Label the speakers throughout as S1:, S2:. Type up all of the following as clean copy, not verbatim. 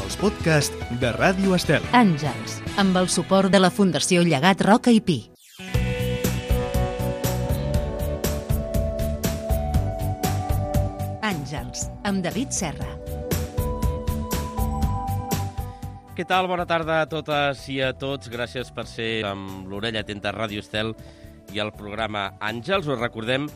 S1: els podcasts de Ràdio Estel.
S2: Àngels, amb el suport de la Fundació Llegat Roca i Pi. Àngels, amb David Serra.
S3: Què tal? Bona tarda a totes i a tots. Gràcies per ser amb l'orella atenta a Ràdio Estel i al programa Àngels. Us recordem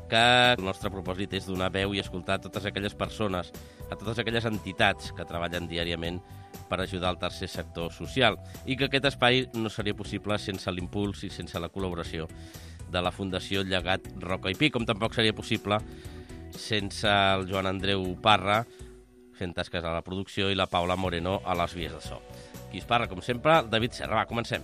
S3: que el nostre propòsit és donar veu i escoltar a totes aquelles persones, a totes aquelles entitats que treballen diàriament per ajudar al tercer sector social, i que aquest espai no seria possible sense l'impuls i sense la col·laboració de la Fundació Llegat Roca i Pi, com tampoc seria possible sense el Joan Andreu Parra fent tasques a la producció i la Paula Moreno a les vies de so. Qui es parla, com sempre, David Serra. Va, comencem.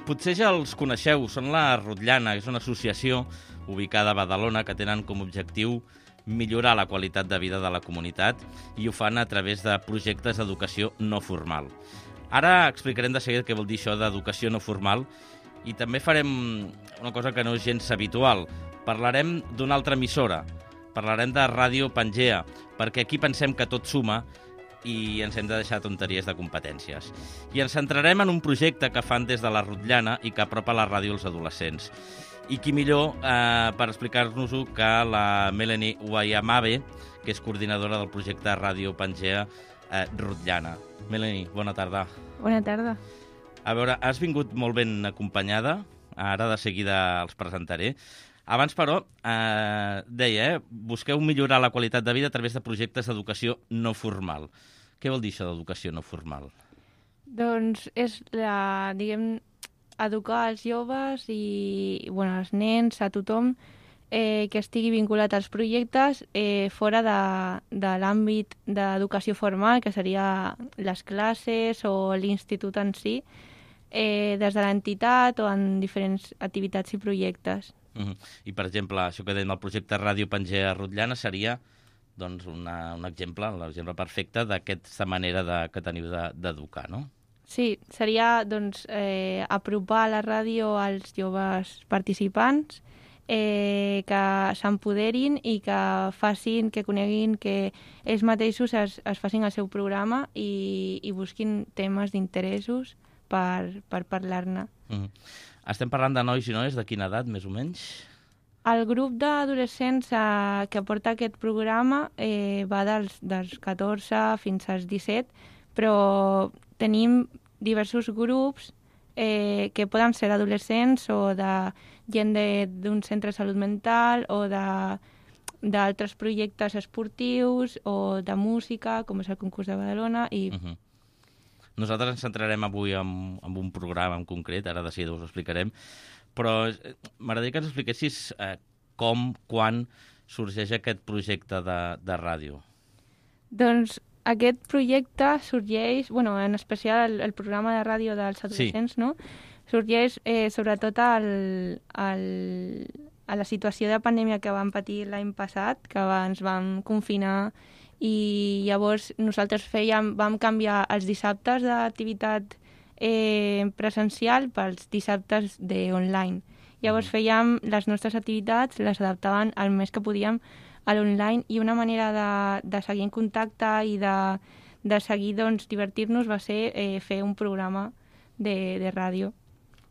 S3: Potser ja els coneixeu, són la Rotllana, és una associació ubicada a Badalona que tenen com a objectiu millorar la qualitat de vida de la comunitat i ho fan a través de projectes d'educació no formal. Ara explicarem de seguida què vol dir això d'educació no formal i també farem una cosa que no és gens habitual. Parlarem d'una altra emissora, parlarem de Ràdio Pangea, perquè aquí pensem que tot suma i ens hem de deixar tonteries de competències. I ens centrarem en un projecte que fan des de la Rotllana i que apropa la ràdio als adolescents. I qui millor per explicar-nos-ho que la Melanie Guayamabe, que és coordinadora del projecte Ràdio Pangea Rotllana. Melanie, bona tarda.
S4: Bona tarda.
S3: A veure, has vingut molt ben acompanyada, ara de seguida els presentaré. Abans, però, deia, busqueu millorar la qualitat de vida a través de projectes d'educació no formal. Què vol dir això d'educació no formal?
S4: Doncs és, educar els joves i els nens, a tothom que estigui vinculat als projectes fora de l'àmbit d'educació formal, que seria les classes o l'institut en si, des de l'entitat o en diferents activitats i projectes.
S3: I, per exemple, això que deien el projecte Ràdio Pangea Rotllana seria doncs, un exemple, l'exemple perfecte d'aquesta manera que teniu d'educar, no?
S4: Sí, seria apropar la ràdio als joves participants, que s'empoderin i que facin, que coneguin, que ells mateixos es facin el seu programa i busquin temes d'interessos per parlar-ne.
S3: Estem parlant de nois i noies de quina edat, més o menys?
S4: El grup d'adolescents que porta aquest programa va dels 14 fins als 17, però tenim diversos grups que poden ser adolescents o de gent d'un centre de salut mental o d'altres projectes esportius o de música, com és el concurs de Badalona.
S3: Nosaltres ens centrarem avui en un programa en concret, ara de seguida us ho explicarem, però m'agradaria que ens expliquessis com, quan sorgeix aquest projecte de ràdio.
S4: Doncs aquest projecte sorgeix, en especial el programa de ràdio dels adolescents, no? Sorgeix sobretot a la situació de pandèmia que vam patir l'any passat, que ens vam confinar i llavors nosaltres vam canviar els dissabtes d'activitat presencial pels dissabtes online. Llavors fèiem les nostres activitats, les adaptaven el més que podíem a l'online i una manera de seguir en contacte i de seguir divertir-nos va ser fer un programa de ràdio.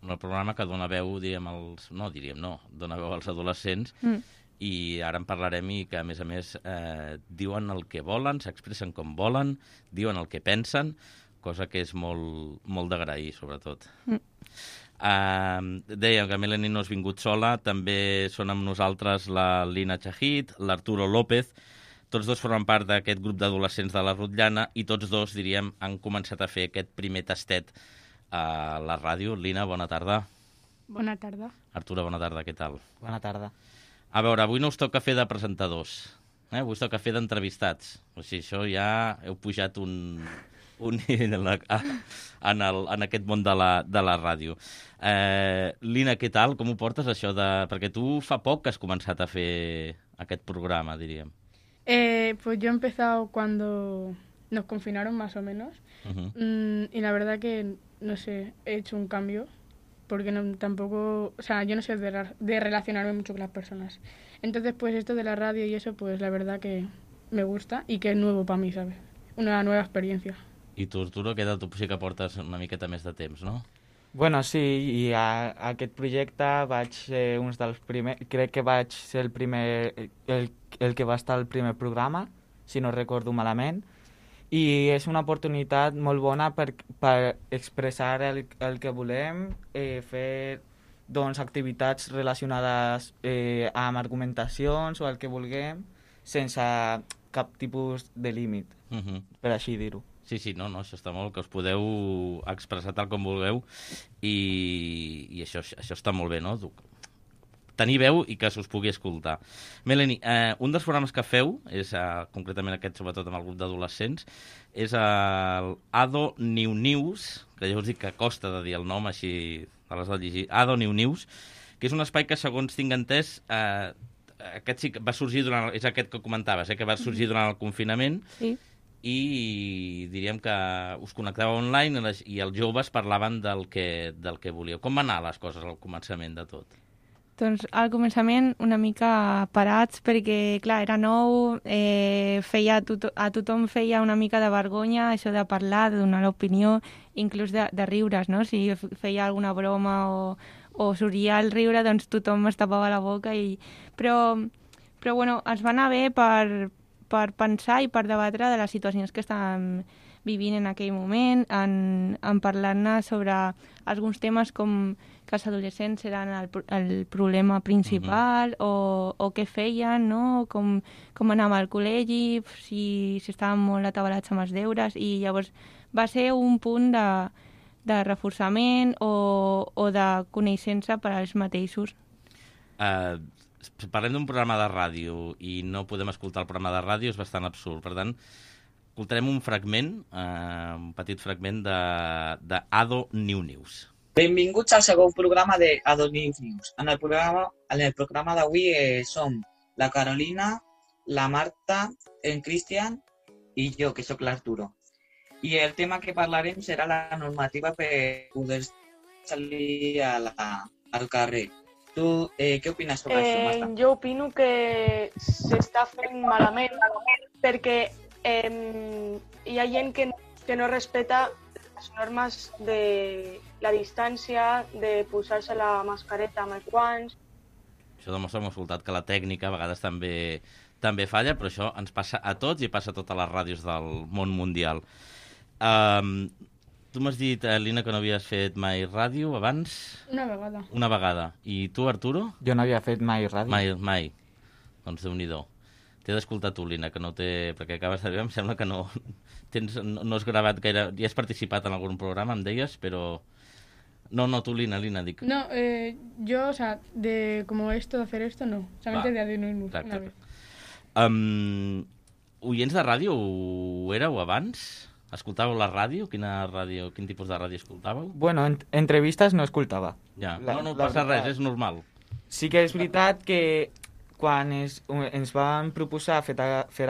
S3: Un programa que dona veu, dona veu als adolescents i ara en parlarem i que, a més, diuen el que volen, s'expressen com volen, diuen el que pensen, cosa que és molt, molt d'agrair, sobretot. Dèiem que Melanie no has vingut sola, també són amb nosaltres la Lina Chahid, l'Arturo López, tots dos formen part d'aquest grup d'adolescents de la Rotllana i tots dos, diríem, han començat a fer aquest primer tastet a la ràdio. Lina, bona tarda.
S5: Bona tarda.
S3: Arturo, bona tarda, què tal?
S6: Bona tarda.
S3: A veure, avui no us toca fer de presentadors, avui us toca fer d'entrevistats. O sigui, això ja heu pujat un nivell en aquest món de la ràdio. Lina, què tal? Com ho portes, això perquè tu fa poc que has començat a fer aquest programa, diríem.
S5: Pues yo he empezado cuando nos confinaron más o menos y la verdad que, no sé, he hecho un cambio porque tampoco, o sea, yo no sé de relacionarme mucho con las personas. Entonces, pues esto de la radio y eso, pues la verdad que me gusta y que es nuevo para mí, ¿sabes? Una nueva experiencia.
S3: I tu, Arturo, que tu sí que portes una miqueta més de temps, no?
S6: Bueno, sí, i a aquest projecte vaig ser un dels primers... Crec que vaig ser el primer... el que va estar al primer programa, si no recordo malament, i és una oportunitat molt bona per expressar el que volem, fer doncs, activitats relacionades amb argumentacions o el que vulguem, sense cap tipus de límit, per així dir-ho.
S3: Sí, no, això està molt, que us podeu expressar tal com vulgueu i això està molt bé, no? Tenir veu i que s'us pugui escoltar. Melanie, un dels programes que feu, és concretament aquest, sobretot amb el grup d'adolescents, és el Ado New News, que ja us dic que costa de dir el nom, així te l'has de llegir, Ado New News, que és un espai que, segons tinc entès, aquest sí que va sorgir durant... És aquest que comentaves, que va sorgir durant el confinament,
S4: Sí.
S3: i diríem que us connectàveu online i els joves parlaven del que volíeu. Com van anar les coses al començament de tot?
S4: Doncs al començament una mica parats perquè, clar, era nou, a tothom feia una mica de vergonya això de parlar, de donar l'opinió, inclús de riure's, no? Si feia alguna broma o sorgia el riure, doncs tothom es tapava la boca. Però bueno, ens va anar bé per pensar i per debatre de les situacions que estàvem vivint en aquell moment, en parlar-ne sobre alguns temes com que els adolescents eren el problema principal o què feien, no? Com anàvem al col·legi, si estàvem molt atabalats amb els deures, i llavors va ser un punt de reforçament o de coneixença per als mateixos.
S3: Parlem d'un programa de ràdio i no podem escoltar el programa de ràdio, és bastant absurd. Per tant, escoltarem un fragment, un petit fragment de Ado New News.
S7: Benvinguts al segon programa de Ado New News. En el programa d'avui som la Carolina, la Marta, en Cristian i jo, que sóc l'Arturo. I el tema que parlarem serà la normativa per poder salir al carrer. Tu, què opines sobre això, Marta?
S8: Jo opino que s'està fent malament perquè hi ha gent que no respeta les normes de la distància, de posar-se la mascareta amb els guants.
S3: Això demostra, hem escoltat, que la tècnica a vegades també falla, però això ens passa a tots i passa a totes les ràdios del món mundial. Tu m'has dit, Lina, que no havies fet mai ràdio abans?
S5: Una vegada.
S3: Una vegada. I tu, Arturo?
S6: Jo no havia fet mai ràdio.
S3: Mai. Doncs Déu-n'hi-do. T'he d'escoltar tu, Lina, que no té... Perquè acabes de dir, em sembla que no has gravat gaire... Ja has participat en algun programa, em deies, però... No, tu, Lina, dic.
S5: No, yo, o sea, de como esto, de hacer esto, no. Solamente de Adenoimus, una vez.
S3: Oients de ràdio ho éreu abans? Escoltàveu la ràdio? Quin tipus de ràdio escoltàveu?
S6: Bueno, entrevistes no escoltava.
S3: Ja, no passa res, és normal.
S6: Sí que és veritat que quan ens van proposar fer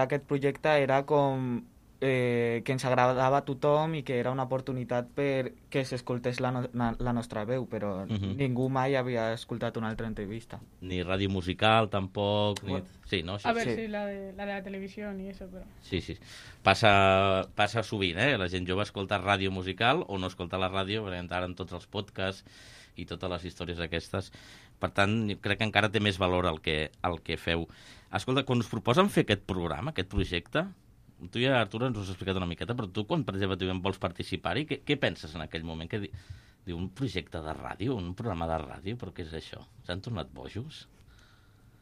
S6: aquest projecte era com que ens agradava a tothom i que era una oportunitat perquè s'escoltés la nostra veu, però ningú mai havia escoltat una altra entrevista.
S3: Ni ràdio musical, tampoc.
S5: Bueno,
S3: sí, no?
S5: A ver, sí, la de la televisión y eso, pero...
S3: Sí. Passa sovint, La gent jove escolta ràdio musical o no escolta la ràdio, perquè ara en tots els podcasts i totes les històries aquestes. Per tant, crec que encara té més valor el que feu. Escolta, quan us proposen fer aquest programa, aquest projecte, tu ja, Arturo, ens ho has explicat una miqueta, però tu, quan, per exemple, vols participar-hi, què penses en aquell moment? Diu, un projecte de ràdio, un programa de ràdio, però què és això? S'han tornat bojos?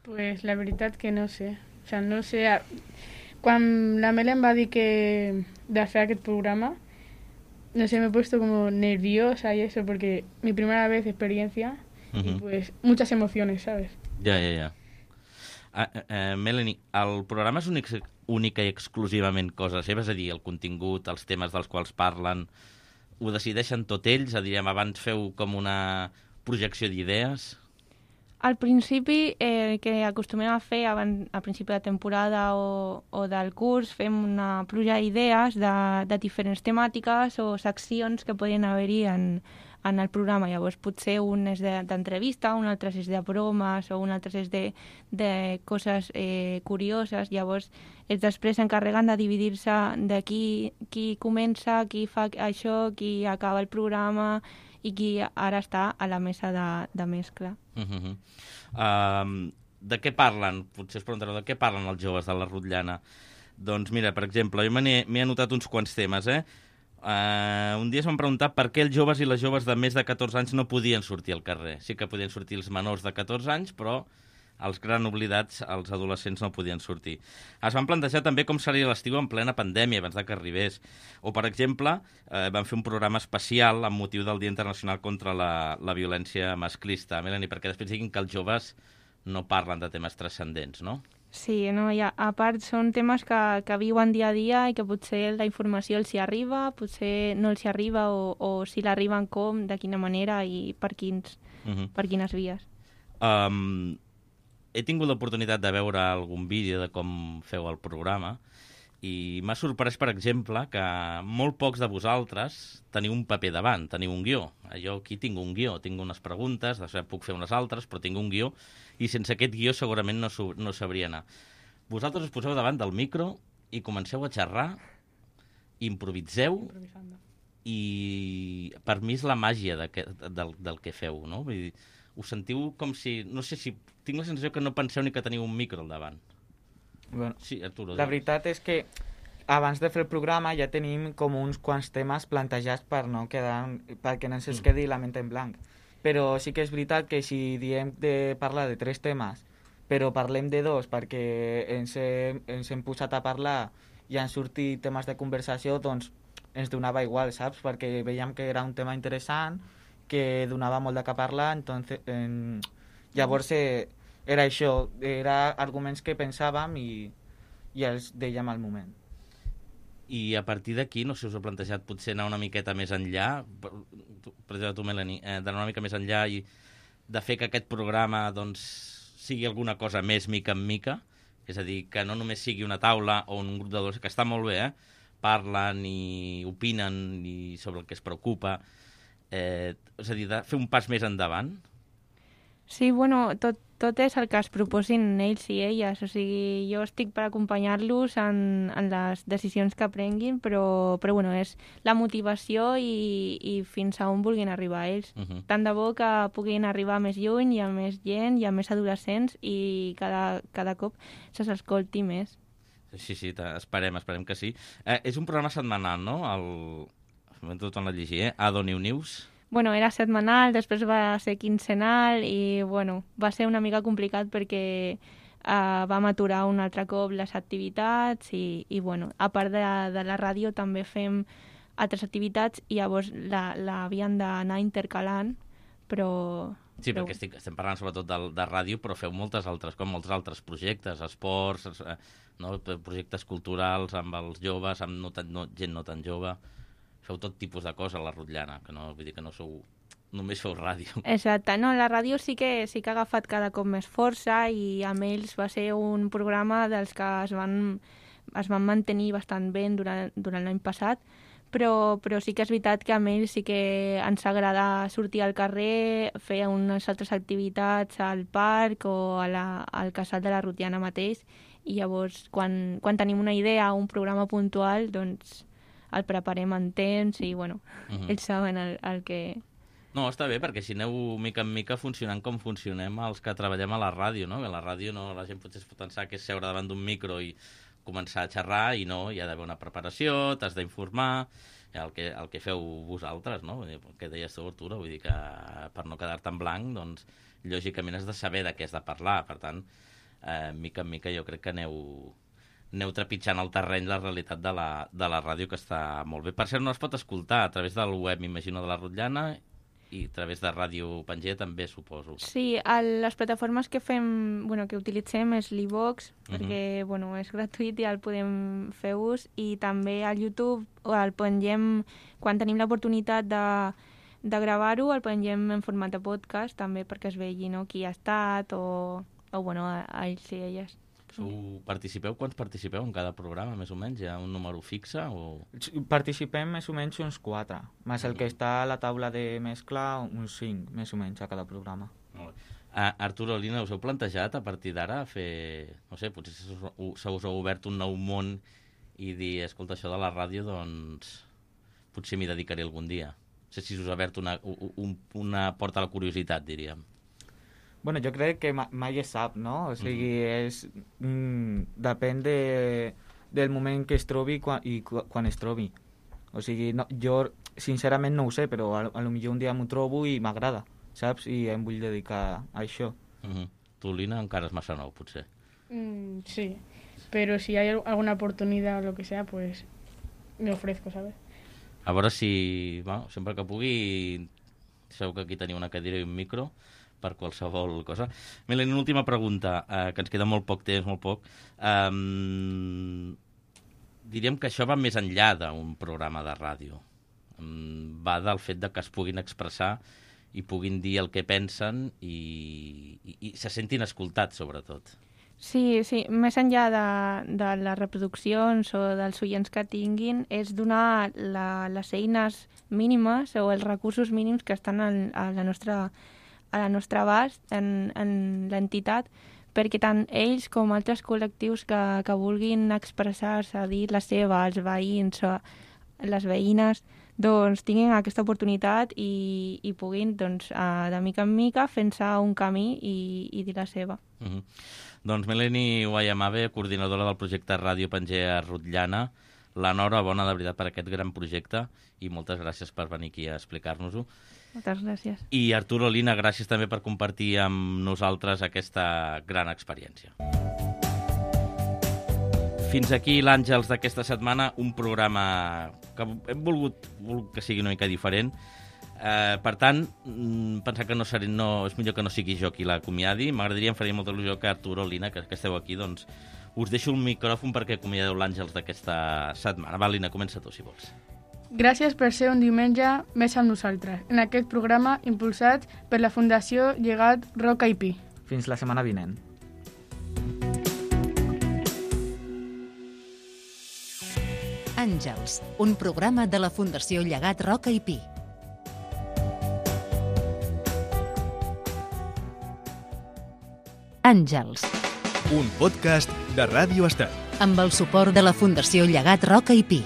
S5: Pues la veritat que no sé. O sea, no sé... Quan la Mel em va dir de fer aquest programa, no sé, me he puesto como nerviosa y eso, porque mi primera vez experiencia y pues muchas emociones, ¿sabes?
S3: Ja. Melanie, el programa és única i exclusivament cosa seva, és a dir, el contingut, els temes dels quals parlen, ho decideixen tot ells? Abans feu com una projecció d'idees?
S4: Al principi, el que acostumem a fer al principi de temporada o del curs, fem una pluja d'idees de diferents temàtiques o seccions que podien haver-hi en en el programa. Llavors potser un és d'entrevista, un altre és de bromes o un altre és de coses curioses. Llavors ells després s'encarreguen de dividir-se de qui comença, qui fa això, qui acaba el programa i qui ara està a la mesa de mescla.
S3: De què parlen? Potser us preguntareu, de què parlen els joves de la Rotllana? Doncs mira, per exemple, jo m'he anotat uns quants temes, un dia es van preguntar per què els joves i les joves de més de 14 anys no podien sortir al carrer. Sí que podien sortir els menors de 14 anys, però els gran oblidats, els adolescents, no podien sortir. Es van plantejar també com seria l'estiu en plena pandèmia, abans que arribés. O, per exemple, van fer un programa especial amb motiu del Dia Internacional contra la violència masclista. Melanie, perquè després diguin que els joves no parlen de temes transcendents, no?
S4: Sí, no, a part són temes que viuen dia a dia i que potser la informació els hi arriba, potser no els hi arriba o si l'arriben com, de quina manera i per quines vies.
S3: He tingut l'oportunitat de veure algun vídeo de com feu el programa i m'ha sorprès, per exemple, que molt pocs de vosaltres teniu un paper davant, teniu un guió. Jo aquí tinc un guió, tinc unes preguntes, després puc fer unes altres, però tinc un guió i sense aquest guió segurament no sabria anar. Vosaltres us poseu davant del micro i comenceu a xerrar, improviseu i per mi és la màgia del que feu, no? Vull dir, us sentiu com si... No sé si... Tinc la sensació que no penseu ni que teniu un micro al davant.
S6: Bueno,
S3: sí, Arturo.
S6: La veritat és que abans de fer el programa ja tenim com uns quants temes plantejats perquè no se'ns quedi la ment en blanc. Però sí que és veritat que si diem de parlar de 3 temes, però parlem de 2 perquè ens hem posat a parlar i han sortit temes de conversació, doncs ens donava igual, saps? Perquè veiem que era un tema interessant, que donava molt de què parlar, llavors era això, era arguments que pensàvem i els dèiem al moment.
S3: I a partir d'aquí, no sé si us heu plantejat potser anar una miqueta més enllà, per exemple tu, Melanie, d'anar una mica més enllà i de fer que aquest programa doncs, sigui alguna cosa més mica en mica, és a dir, que no només sigui una taula o un grup d'adolescents, que està molt bé, parlen i opinen sobre el que es preocupa, és a dir, de fer un pas més endavant.
S4: Sí, bueno, tot és el que es proposin ells i elles. O sigui, jo estic per acompanyar-los en les decisions que prenguin, però bueno, és la motivació i fins a on vulguin arribar ells. Tant de bo que puguin arribar més lluny, hi ha més gent, hi ha més adolescents i cada cop se s'escolti més.
S3: Sí, esperem que sí. És un programa setmanal, no? M'ho torno a llegir, Ado New News.
S4: Bueno, era setmanal, després va ser quinzenal i, bueno, va ser una mica complicat perquè vam aturar un altre cop les activitats i bueno, a part de la ràdio també fem altres activitats i llavors l'havien d'anar intercalant, però...
S3: Sí, perquè estem parlant sobretot de ràdio, però feu molts altres projectes, esports, projectes culturals amb els joves, amb gent no tan jove... Feu tot tipus de coses a la Rotllana, que no vull dir que no només feu ràdio.
S4: Exacte, no, la ràdio sí que ha agafat cada cop més força i amb ells va ser un programa dels que es van mantenir bastant bé durant l'any passat, però sí que és veritat que amb ells sí que ens agrada sortir al carrer, fer unes altres activitats al parc o al casal de la Rotllana mateix i llavors quan tenim una idea o un programa puntual, doncs el preparem en temps i, bueno, ells saben el que...
S3: No, està bé, perquè si aneu mica en mica funcionant com funcionem els que treballem a la ràdio, no? Que a la ràdio la gent potser es pot pensar que és seure davant d'un micro i començar a xerrar i no, hi ha d'haver una preparació, t'has d'informar, el que feu vosaltres, no? Que deies tu, Arturo, vull dir que per no quedar-te en blanc, doncs, lògicament has de saber de què has de parlar, per tant, mica en mica jo crec que aneu trepitjant el terreny, la realitat de la ràdio, que està molt bé. Per cert, no es pot escoltar a través del web, m'imagino, de la Rotllana i a través de Ràdio Pangea també, suposo.
S4: Sí, les plataformes que utilitzem és l'Ivox, perquè és gratuït i el podem fer ús, i també al YouTube el pengem, quan tenim l'oportunitat de gravar-ho, el pengem en format de podcast, també perquè es vegi qui ha estat o ells i elles.
S3: Participeu? Quants participeu en cada programa, més o menys? Hi ha un número fixe? O...
S6: Participem més o menys uns 4, més el que està a la taula de mescla, uns 5, més o menys, a cada programa.
S3: Molt bé. Arturo, Lina, us heu plantejat a partir d'ara fer... No sé, potser se us ha obert un nou món i dir, escolta, això de la ràdio, doncs potser m'hi dedicaré algun dia. No sé si us ha obert una porta a la curiositat, diríem.
S6: Bueno, jo crec que mai es sap, no? O sigui, depèn del moment que es trobi i quan es trobi. O sigui, no, jo sincerament no ho sé, però a lo millor un dia m'ho trobo i m'agrada, saps? I em vull dedicar a això.
S3: Tu, Lina, encara és massa nou, potser.
S5: Sí, pero si hay alguna oportunidad o lo que sea, pues me ofrezco, ¿sabes?
S3: A veure si, bueno, sempre que pugui, sabeu que aquí teniu una cadira i un micro per qualsevol cosa. Melanie, una última pregunta, que ens queda molt poc temps, molt poc. Diríem que això va més enllà d'un programa de ràdio. Va del fet de que es puguin expressar i puguin dir el que pensen i se sentin escoltats, sobretot.
S4: Sí, més enllà de les reproduccions o dels oients que tinguin, és donar les eines mínimes o els recursos mínims que estan a la nostra abast en l'entitat, perquè tant ells com altres col·lectius que vulguin expressar-se, dir la seva, els veïns o les veïnes, doncs tinguin aquesta oportunitat i puguin, doncs, de mica en mica, fent-se un camí i dir la seva.
S3: Doncs Melanie Guayamabe, coordinadora del projecte Ràdio Pangea Rotllana, l'enhorabona de veritat per aquest gran projecte i moltes gràcies per venir aquí a explicar-nos-ho.
S4: Moltes gràcies.
S3: I Arturo, Lina, gràcies també per compartir amb nosaltres aquesta gran experiència. Fins aquí l'Àngels d'aquesta setmana, un programa que hem volgut que sigui una mica diferent. Per tant, pensar que és millor que no sigui jo qui l'acomiadi. M'agradaria, em faria molta il·lusió que Arturo, Lina, que esteu aquí, doncs us deixo un micròfon perquè acomiadeu l'Àngels d'aquesta setmana. Va, Lina, comença tu, si vols.
S5: Gràcies per ser un diumenge més amb nosaltres, en aquest programa impulsat per la Fundació Llegat Roca i Pi.
S6: Fins la setmana vinent.
S2: Àngels, un programa de la Fundació Llegat Roca i Pi. Àngels.
S1: Un podcast de Ràdio Estel.
S2: Amb el suport de la Fundació Llegat Roca i Pi.